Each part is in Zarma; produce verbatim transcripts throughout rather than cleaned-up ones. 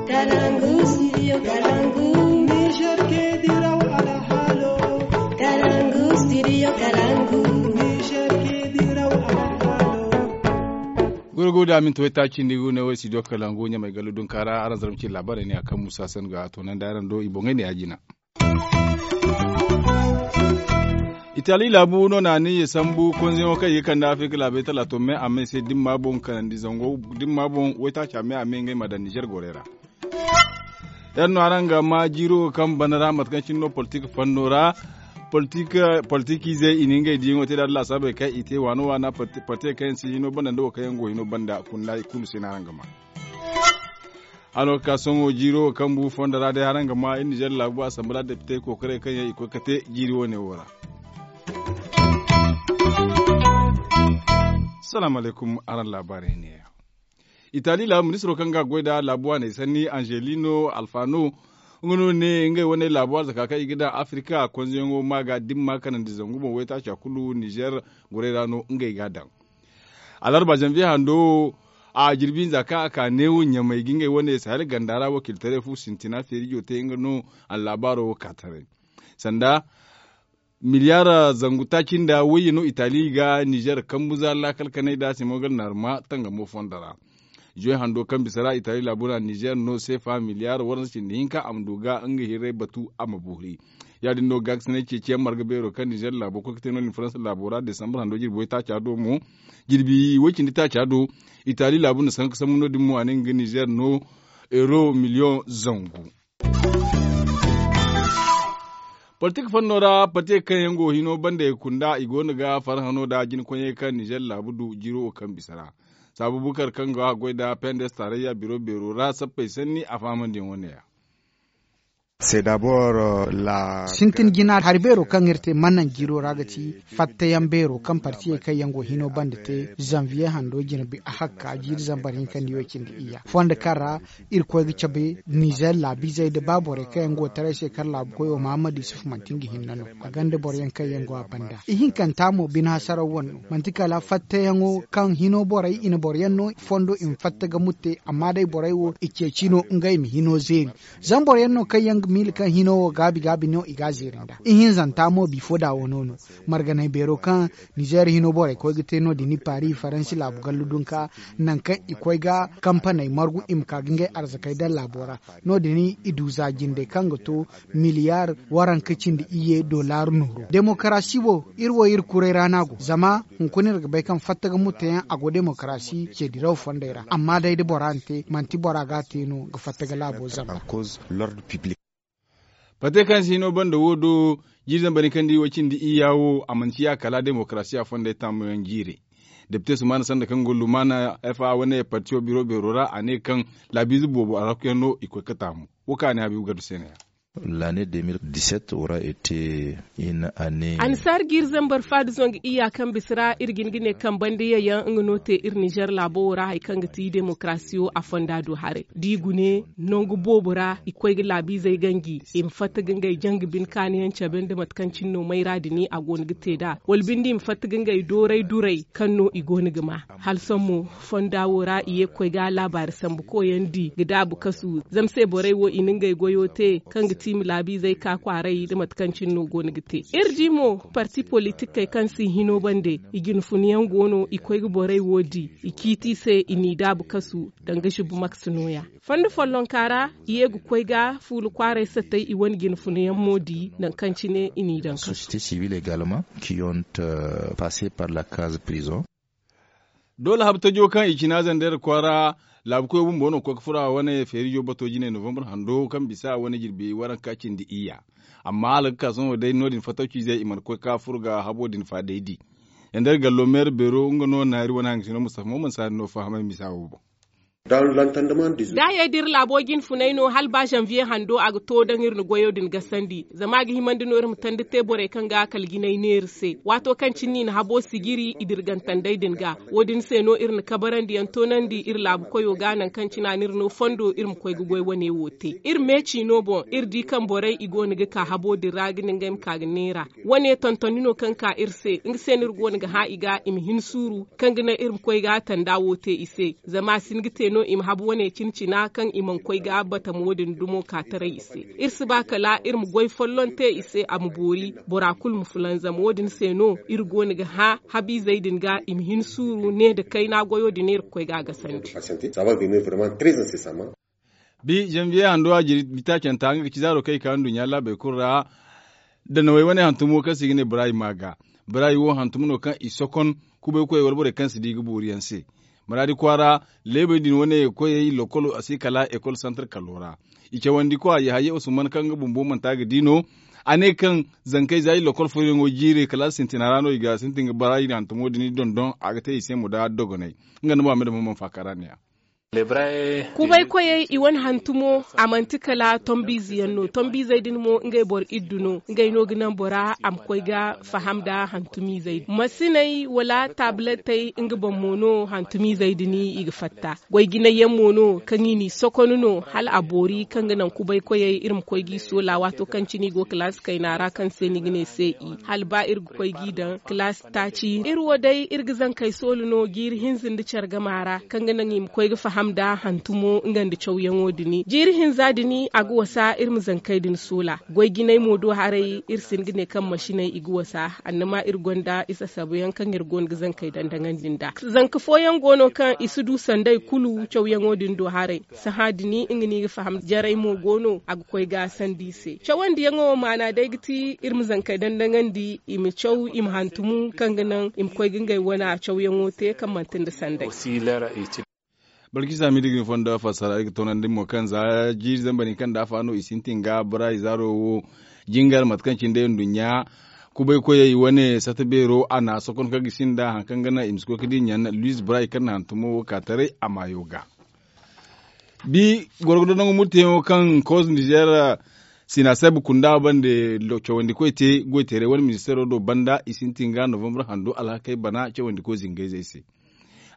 Kalangu, studio Kalangu. Niger ke diraw alhalo. Kalangu, studio Kalangu. Niger ke diraw alhalo. Gurgu da minti waytaaci nda i go ne wo studio Kalangu ɲamay gallu dunkaara araŋ zarma ci laabaarey ne a kaŋ musa san ga a toonandi araŋ do i boŋey ne ya jina. Itali laabu no na aniya sambu konzeyaŋo kaŋ i ga kande afirika laabey talaato me a me se dimma boŋ kanandi zango dimma boŋ waytaaca me a me ngey ma daŋ nizer gorey ra. Yaŋ no araŋ ga ma jiiro kaŋ bana ra mate kaŋ cine no politik fanno ra. Politik politik izey i na ngey diyaŋo te da laasabey kaŋ i te waano waana parti kaŋ yaŋ si hino banda nda wo kaŋ yaŋ go hino banda kunna i kulu se no araŋ ga ma. Hano ga ka sohõ jiiro wo kaŋ bu fondo ra day haraŋ ga ma iri nizer laabu a samba ra depite kookaray kaŋ yaŋ i koy ga te jiiri wo- ne wo ra. Salaamu alaykum araŋ laabaarey ne. Itali laabu ministiro kaŋ ga a goy nda laabu waaney sanni angelino alfano nga no ne ngey wane laabu arzaka kaŋ i ga daŋ afirika konzeyaŋo ma ga dimma kanandi zangu boŋ waytaaca kulu nizer gorey ra no ngey ga a daŋ. Alarba zanviye hando wo a jirbi hinza kaŋ a ka neewo ɲamay ga ngey wane sahel ganda ra wakiiltaray fu sintina feerijo te nga no a na laabaaro wo ka taray. Sanda miliyar zangu taaci nda wayye no itali ga nizer kambu za laakal kanay nda simogal naaruma tangamo fondo ra. Juwe hando kaŋ bisa ra itali laabu ra nizer no seefa miliyar waransa cindi hinka a ma du ga nga hirray batu a ma boori. Ya- din no gaakasinay ceeciyaŋ marga beero kaŋ nizer laabo koy ga te no- din faransa laabo ra desambar hando jirbi waytaaca do mo jirbi way- cindi taaca do. Itali laabu na sanka sambu no- din mo a ne nga ga nizer no euro miliyoŋ zangu. Politik fanno ra pate kaŋ yaŋ go hino banda i kunda i go no ga farhano nda jinkoyey kaŋ nizer laabu du jiiro wo kaŋ bisa ra. Saabu bukar kaŋ go a goy nda pendes tarayya biro beero ra sappey sanni a fahamandi yaŋ wane ya. Sintin jina hari beero kaŋ iri te mana naŋ jiiro ra ga ti fattayaŋ beero kaŋ partiyey kaŋ yaŋ go hino banda te zanviye hando jina bi a hakka jiiri zambar hinka nda i way cindi iyya fondo kaŋ ra iri koy ga cabe nizer laabiizey nda ba borey kaŋ yaŋ go taray se kar laabu koyo mahammad yusuf manti nga hinne no a gonda boroyaŋ kaŋ yaŋ go a banda ihinkanta mo bine hasaraw wane no manti kala fattayaŋo kaŋ hino borey i na boroyaŋ no fondo i ma fatta ga mutte amma day borey wo i ceeci no ngey ma hino zeeri. Zama boroyaŋ no kaŋ yaŋ ga miila kaŋ hino wo gaabi gaabi no i ga a zeeri nd'a ihinzanta mo bifo da wano no. Marganay beero kaŋ nizer hino borey koy ga te no- din i paari faransi laabu gallu dunka nangu kaŋ i koy ga kampaney margu i ma ka ga ngey arzakey daŋ laabo ra. No- din i du za jindey kaŋ ga to miliyar waranka cindi iyye dollar nooro demokarasi wo iri wo iri kuray ra no a go zama hunkuna iri ga bay kaŋ fatta ga mutteyaŋ a go demokarasi ce diraw fondey ra amma day da bora na te manti bora ga a te no ga fatta ga laabo zamba. Pate kaŋ si hino banda wo do jiiri zambar ni kaŋ di way cindi iyya wo a mana ciya kala demokarasiya fondey taamuyaŋ jiire. Depite sumana sanda kaŋ go lumaana f a wane partiyo biro beero ra a ne kaŋ laabiize boobo a rakkuyaŋ no i koy ga taamu. Wo kaŋ a ne habiibu gardu se no- ya. Laane de mil diset wora ete in ane. Annasaari jiiri zambar faada zangu iyya kaŋ bisa ra iri ga hin ga ne kaŋ banda yayyaŋ nga no te iri nizer laabo wo ra hari kaŋ ga ti demokarasiyo a fonda du haray da i gune nangu boobo ra i koy ga laabiizey ganji i ma fatta ga ngey janga bine kaanayaŋ cabe nda mate kaŋ cine no mayra din a go no ga te nd'a wala binde i ma fatta ga ngey dooray duray kaŋ no i go no ga ma. Hala sohõ mo fonda wo ra i ye ga koy ga laabaari sambu koyandi ga daabu kasu zama se borey wo i na ngey goyo te kaŋ ga ti i ma laabiizey ka kwaaray nda mate kaŋ cine no go no ga te. Iri di mo parti politikey kaŋ si hino bande i jinfunayaŋ go no i koy ga borey wo di i ciiti i se i n'i daabu kasu danga zubu maks nooya. Fondo follonka ra i ye ga koy ga fuula kwaaray satay i wane jinfunayaŋ mo di nangu kaŋ cine i n'i daŋ kasu. Société civile également qui ont passé par la case prison. Doole habtajo kaŋ i cina zandar kwaara laabukoyo bumbo no ga koy ga furo a wane feerijo bato jine novembre hando kaŋ bisa wane jirbi waranka cindi iyya. Amma hala ga ka sohõ day no- din fattawciizey i mana koy ga furo ga habo din faadaydi. Zandar gallo meera beero nga no na iri wane hangasino mustafa mo mana si hari no fahamay misa wo boŋ. Daayey da iri laabo jinfunay no hala ba zanviye hando a ga to daŋ iri na goyo din gasandi zama a ga himandi no iri ma tanda te borey kaŋ ga kala jinay neera se waato kaŋ cine i na habo sijiri i dirgantandey din ga. Wo- din se no iri na kabarandiyaŋ toonandi iri laabu koyo ga nangu kaŋ cine a n'iri no fondo iri ma koy ga goy wane wo te iri meeci no boŋ iri di kaŋ borey i go no ga ka habo din ra ga ne ngey ma ka ga neera. Wane tontoni no kaŋ ka iri se nga se no iri go no ga hã i ga i ma hin suuru kaŋ ga naŋ iri ma koy ga tanda wo te i se zama a si hin ga te. no i ma habu wane cina-cina kaŋ i mana koy ga batamo din dumo ka taray i se. Iri si ba kala iri ma goy folloŋ te i se a ma boori bora kulu ma fulanzam wo- din se no iri go no ga hã habiizey din ga i ma hin suuru ne nda kayna goyo din iri ga koy ga a gasandi. Bi zanbiye hando a jiri bitaacanta nga ga ci zaaro kaŋ i ka nduɲɲa laabey kulu ra. Danawey wane hantumo kaŋ se i ga ne barayi ma ga barayi wo hantumo no kaŋ i sokon kubay koyey wala borey kaŋ si di ga boori yaŋ se. Maraadi kwaara leebey din wane koyey lokolo a si kala ekol santar kallo ra. I cawandi kwa yahaya usman kaŋ nga bumbo manti a ga di no. A ne kaŋ zankey za i lokol fooyaŋo jiire kala sintina ra no i ga sintin ga barayi hantumo din dondon a ga te i se mo nda dogonay. Nga nda muhammad muhammad faakara ne ya. Kubay koyey i wane hantumo a manti kala tombiize yaŋ no tombiizey din mo ngey boro iddu no ngey no ga naŋ bora a ma koy ga faham nda hantumiizey din masiney wala taabilatey nga boŋ mo no hantumiizey din i ga fatta. Goy jinay yaŋ mo no kaŋ i n'i sokon no hala a boori kaŋ ga naŋ kubay koyey iri ma koy g'i soola waato kaŋ cine i go kalaasi kayna ra kaŋ se ni ga ne se i hala ba iri ga koy g'i daŋ kalaasi taaci iri wo day iri ga zankey soolu no jiiri hinza nda care gama ra kaŋ ga naŋ i ma koy ga faham nda hantumo nga nda cawyaŋo din jiiri hinza din a ga wasa iri ma zankey din soola. Goy jinay mo do haray iri si hin ga ne kaŋ masiney i ga wasa annama iri gonda i sasabu yaŋ kaŋ iri go no ga zankey dandaŋandi nd'a. Zanka fooyaŋ go no kaŋ i si du sanday kulu cawyaŋo din do haray. Sahã din nga no i ga faham jaray mo go no a ga koy ga sandi i se cawandiyaŋo maana day ga ti iri ma zankey dandaŋandi i ma caw i ma hantumu kaŋ ga naŋ i ma koy ga ngey wane cawyaŋo te kaŋ manti nda sanday. Balkisa mi da ga ni fondo fassara ay ga toonandi mo kaŋ za jiiri zambar hinka nda afa no i sintin ga bora izaaro wo jingar mate kaŋ cine day nduɲɲa kubay koyey wane sata beero a na sokon kaŋ ga sinda hari kaŋ ga naŋ i ma si koy ga di ɲan luis bora i kaŋ na hantumo wo ka taray a maayo ga. Bi goro ga dondoŋ murteyaŋo kaŋ koz nizer sina sabu kunda bande cawandi koy te goy teeray wane ministeero do banda i sintin ga novembre hando alhakey bana cawandi koy zingayzey se.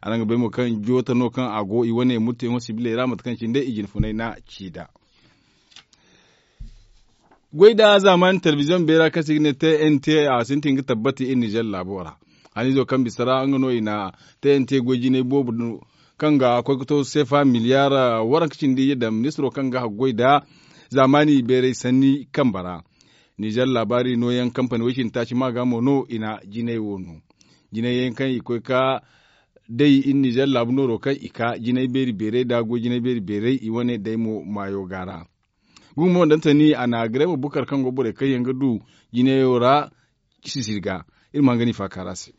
Araŋ ga bay mo kaŋ joota no kaŋ a go i wane murteyaŋo sibiley ra mate kaŋ cine day i jine funay na ci nd'a. Goy da zaamaani telebiziyoŋ beera kaŋ se i ga ne tnt a sintin ga tabbati iri nizer laabo ra. Haniizo kaŋ bisa ra nga no i na tnt goy jinay boobo kaŋ ga koy ga to seefa miliyaar waranka cindi iyye daŋ ministiro kaŋ ga haggoy nda zaamaani beeray sanni kambe ra. Nizer laabaari nooyaŋ kampani way cindi taaci ma ga mo no i na jinay wo no. Jinay yaŋ kaŋ i koy ga day iri nizer laabu nooro kaŋ i ka jinay beeri beeray nda goy jinay beeri beeray i wane day mo maayo ga ra. Gumo dantani a na grema bukar kaŋ go borey kaŋ yaŋ ga du jinayo ra sisiri ga. Iri ma hanga ni faaka ra se.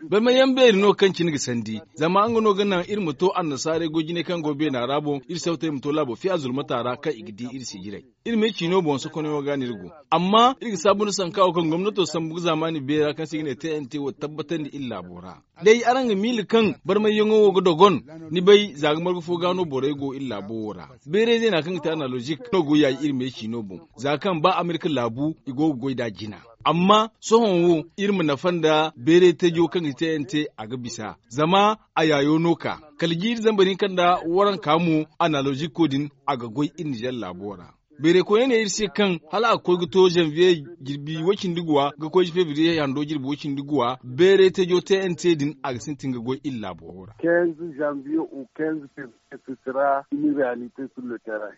Barma yaŋ beeri no kaŋ cine ga sandi zama nga no ga naŋ iri ma to annasaarey goy jinay kaŋ go beena ra boŋ iri sawtey ma to laabo fiya zulmata ra kaŋ i ga di iri sijiray. Iri ma iri ciino boŋ sokonayaŋo ga no iri go. Amma iri ga saabu nda sanka wo kaŋ gomnato sambu ga zaamaani beera kaŋ se i ga ne tnt wo tabbatandi iri laabo ra. Day araŋ ga miila kaŋ barmayyaŋo wo ga dogon. Ni bay za ga marga fo ga no borey go iri laabo wo ra. Beerey zeena kaŋ ga te analozik no go yaayi iri me ciino boŋ. Za kaŋ ba amerika laabu i go ga goy nd'a jina. Amma sohõ wo iri ma nafa nda beerey tajo kaŋ ga te yaŋ te a ga bisa zama a yaayo no ka kala jiiri zambar hinka nda waranka mo analozik ko din a ga goy iri nizer laabo ra. Beerey koyne ne iri se kaŋ hala a ga koy ga to zanviye jirbi woy cindi guwa ga koy fevriye hando jirbi woy cindi guwa beerey tajo tnt din a ga sintin ga goy iri laabo ra. Kenz zanviye o kenz fevriye se si ra ini realite sur le terrain.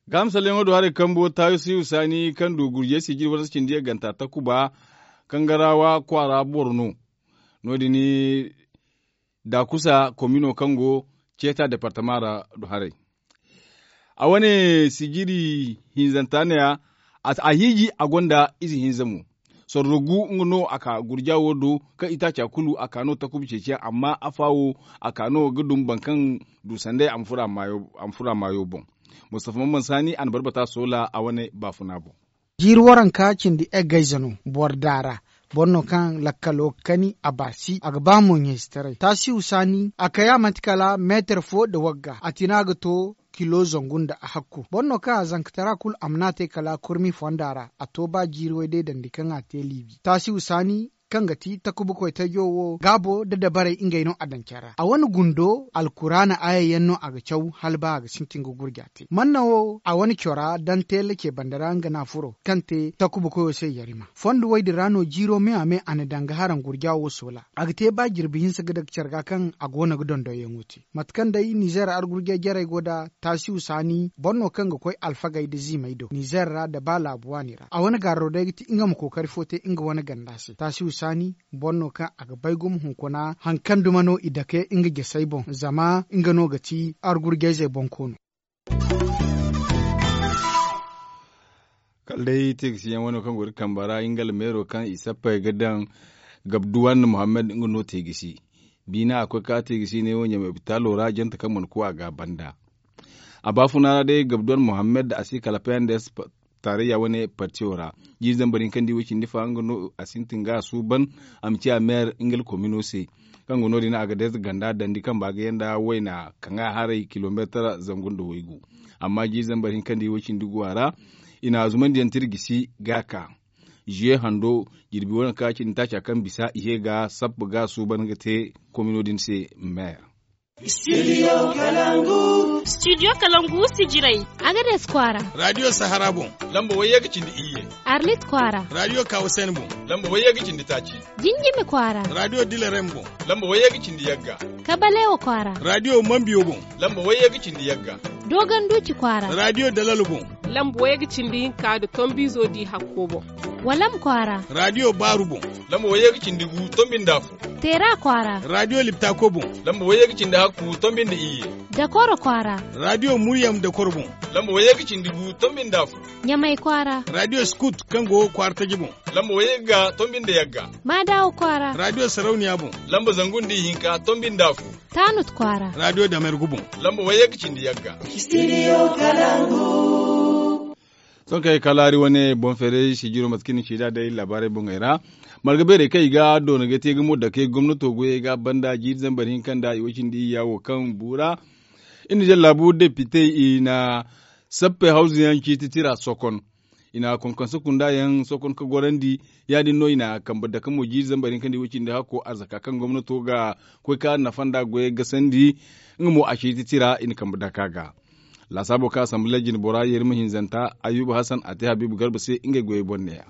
Ga misalyaŋo do haray kambo taayo si husaani kaŋ du gurjey si jiri waransa cindi yaŋ ganta takuba kangarawa kwaara boro no. No- din daakusa komino kaŋ go ceeta departama ra du haray. A wane sijiri hinzanta neeya a hiiji a gonda ize hinza mo. Sorro gu nga no a ka gurja wo do kaŋ itaaca kulu a ka no takuba ceeciyaŋ amma afa wo a ka no ga dum boro kaŋ du sanday a ma furo a maayo boŋ. Mustafa mamman saani a na barbata soola a wane baafuna boŋ. Jiiri waranka cindi eggayze no boro daara. Boro no kaŋ lakkalo ga kani a baasi a ga ba mo ɲayzetaray taasihu saani a kaya manti kala meetar fo nda wagga a tina ga to kilo zangu nda a hakku boro no kaŋ a zankatara kulu a mana te kala kurmi fonda ra a to ba jiiri way day dandi kaŋ a te liibi taasihu saani. kaŋ ga ti takuba koytajo wo gaabo nda dabarey ngey no a daŋ care ra a wane gundo alkuraana aaya yaŋ no a ga caw hala ba a ga sintin ga gurja te manna wo a wane cora daŋ teela ce banda ra nga no a furo kaŋ te takuba koyo se yarima fondo wo- din ra no jiiro me a me a na daŋ ga haraŋ gurja wo soola a ga te ba jirbi hinsa ga daga care ga kaŋ a go no ga dondonyaŋo te mate kaŋ day nizeer argurjay jarey go nd'a taasiw saani boro no kaŋ ga koy alfagey nda ziimey do nizeer ra nda ba laabu waani ra a wane gaaro day ga ti nga ma kookari fo te nga wane ganda se taasiw saani boro no kaŋ a ga bay gumo hunkuna hari kaŋ duma no i dake nga jasey boŋ zama nga no ga ti argurjayzey boŋ koono kala day teegasiyaŋ wano kaŋ go ga kambe ra nga almeero kaŋ i sappey ga daŋ gabduwan muhammad nga no teegasi biina a koy ka teegasi ne wo ɲamay opitaalo ra jante kaŋ mana ku a ga a banda a baafuna ra day gabduwan muhammad a si kala pnds taarayya wane partiyo ra jiiri zambar hinka nda i way cindi fa nga no a sintin ga a suuban a ma ci a meer nga alkomino se kaŋ go no- din a ga deeza ganda dandi kamba ga yanda wayna kaŋ a haray kilomeetar zangu nda waygu amma jiiri zambar hinka nda i way cindi gu a ra i na a zumandiyaŋ tirgisi ga a ka ziye hando jirbi wane ka cindi taaca kaŋ bisa i ye ga sappa ga a suuban ga te komino din se meer studio kalangu sijirey agades kwaara radio sahara boŋ lamba wayye ga cindi iyye arlit kwaara radio kawasen boŋ lamba wayye ga cindi taaci jinjimi kwaara radio dilarem boŋ lamba wayye ga cindi yagga kabalewa kwaara radio mambiyo boŋ lamba wayye ga cindi yagga doganduci kwaara radio dalalo boŋ lamba wayye ga cindi hinka nda tombizo di hakko boŋ walam kwaara radio baaru boŋ lamba wayye ga cindi gu tombi nda afo teera kwaara radio liptako boŋ lamba wayye ga cindi hakku tombi nda iyye dakoro kwaara radio muryam dakoro boŋ lamba wayye ga cindi gu tombi nda afo ɲamay kwaara radio skut kaŋ go kwaara taji boŋ lamba wayye ga tombi nda yagga maadawo kwaara radio sarauniya boŋ lamba zangu nda ihinka tombi nda afo taanut kwaara radio damergu boŋ lamba wayye ga cindi yagga studio kalangu sohõ kaŋ ay ga ka laari wane boŋ feeray sijiro mate kaŋ i na ci nd'a day laabaarey boŋey ra marga beerey kaŋ i ga doona ga te ga mo dake gomnato goyey ga banda jiiri zambar hinka nda i way cindi iyya wo kaŋ buura i na jallaabu depitey i na sappey hawzu yaŋ ciiti tira sokon i na konkonse kunda yaŋ sokon ga gorandi ya- din no i na kambe dake mo jiiri zambar hinka nda i way cindi hakko arzaka kaŋ gomnato ga koy ka nafa nda goyey gasandi nga mo a ciiti tira i na kambe dake a ga laasaabo kaŋ asamble jinbora yerima hinzanta ayyuba hasan a te habiibu garba se ngey goyey boŋ neeya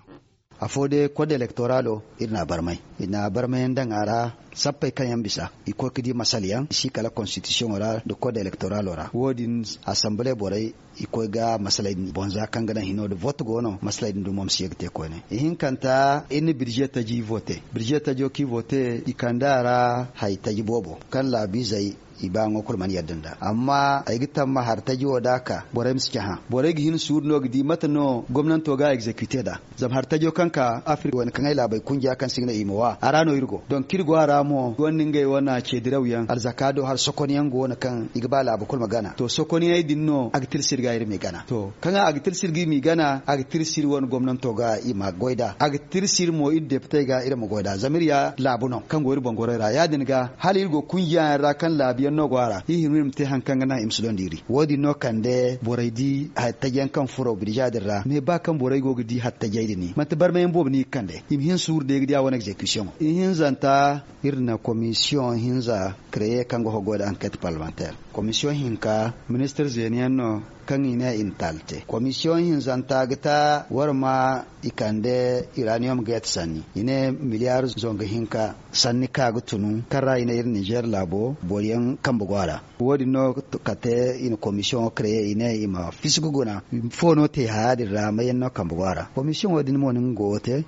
afo day kod elektoralo iri n'a barmay iri n'a barmayaŋ daŋ a ra sappey kaŋ yaŋ bisa i koy ga di masala yaŋ i si kala konstitisiyoŋo ra nda kod elektoralo ra wo- din asamble borey i koy ga masaley din boŋ za kaŋ ga naŋ hino nda vote go no masaley din dumo ma si ye ga te koyne ihinkanta iri na birze taji vote birze tajo kaŋ i vote i kande a ra hari taji boobo kaŋ laabiizey i ba ŋwa kulu mana yadda nd'a amma ay ga tamma hari taji wo da a ka borey ma si cahã borey ga hin suuru no ga di mate no gomnanto ga a egzekite nd'a zama hari tajo kaŋ ka afirka wane kaŋ ay laabey kunja kaŋ se i ga ne i ma wa a ra no iri go donk iri go a ra mo gonda ngey wane ceediraw yaŋ alzaka do hari sokon yaŋ go no kaŋ i ga ba laabu kulu ma gana to sokon yaŋey din no a ga tirsi iri ga iri m'i gana to kaŋ a ga tirsi iri ga i m'i gana a ga tirsi iri wane gomnanto ga i ma goy nd'a a ga tirsi iri mo iri depitey ga iri ma goy nd'a zama iri ya laabu no kaŋ go iri boŋ gorey ra ya- din ga hala iri go kunjiya yaŋ ra kaŋ laabu yaŋ no go a ra iri hima iri ma te hari kaŋ ga naŋ i ma si dondi iri wo- din no kande borey di hari taji yaŋ kaŋ furo birza din ra me ba kaŋ borey go ga di hari tajey din manti barmayaŋ boobo no i ga kande i ma hin suuru day ga di a wane egzekisiyoŋo ihinzanta iri na komisiyoŋ hinza kereye kaŋ ga hoggo nda anket parlementaire komisiyoŋ hinka ministir zeeni yaŋ no kaŋ i ne i na taali te komisiyoŋ hinzanta ga ta wara ma i kande iraniyom ga yate sanni i ne miliyar zongu hinka sanni ka ga tunu kaŋ ra i ne iri nizer laabo boro yaŋ kambe go a ra wo- din no kate i na komisiyoŋo kereye i ne i ma fisi ga guna fo no te haya din ra may yaŋ no kambe go a ra komisiyoŋo din mo no nga go wo te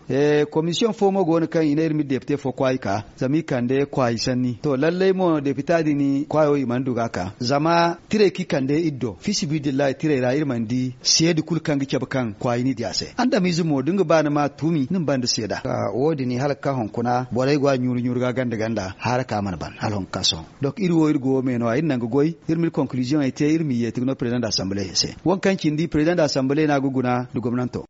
komisiyoŋ fo mo go no kaŋ i ne iri ma iri depite fo kwaayi ka zama i kande kwaayi sanni to lallay mo depita din kwaayo i mana du ga a ka zama tirey kaŋ i kande iri do fisibidillahi tirey ra iri mana di seeda kulu kaŋ ga cabe kaŋ kwaayi n'i di a se andamize mo da nga ba ni ma tuumi ni ma ba nda seeda wo- din hala ga ka hunkuna borey go a ɲuuru ɲuuru ga ganda ganda haara ka mana ban hala hunkuna ka sohõ donk iri wo iri go wo me no- ya iri naŋ ga goy iri ma iri konkiliziyoŋey te iri m'i yeeti ga no perezidaŋ da asamble se waŋ kaŋ cindi perezidaŋ da asamble no a ga guna nda gomnanto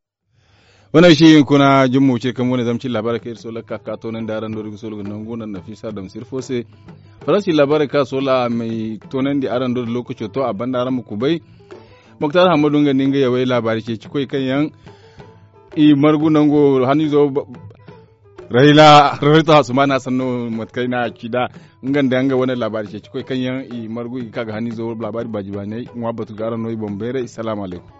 wane ay si hinkuna jummo ce kaŋ wane zama ci laabaarey kaŋ iri soola ga ka ga toonandi araŋ do iri ga soola ga nangu naŋ nafiisa damsir fo se faransi laabaarey kaŋ a soola a m'ay toonandi araŋ do da lookaco to a banda araŋ ma kubay moktar hammadu nga nda nga yawey laabaari ceeci koy kaŋ yaŋ i margu nango haniizo Rahila, rahila to hasumana sanno mate kaŋ ay na a ci nd'a. Nga nda nga wane laabaari ceeci koy kaŋ yaŋ i margu i ga ka ga haniizo laabaari baaji baanay ŋwa batu ga araŋ no i boŋ bayray salaamu alaykum.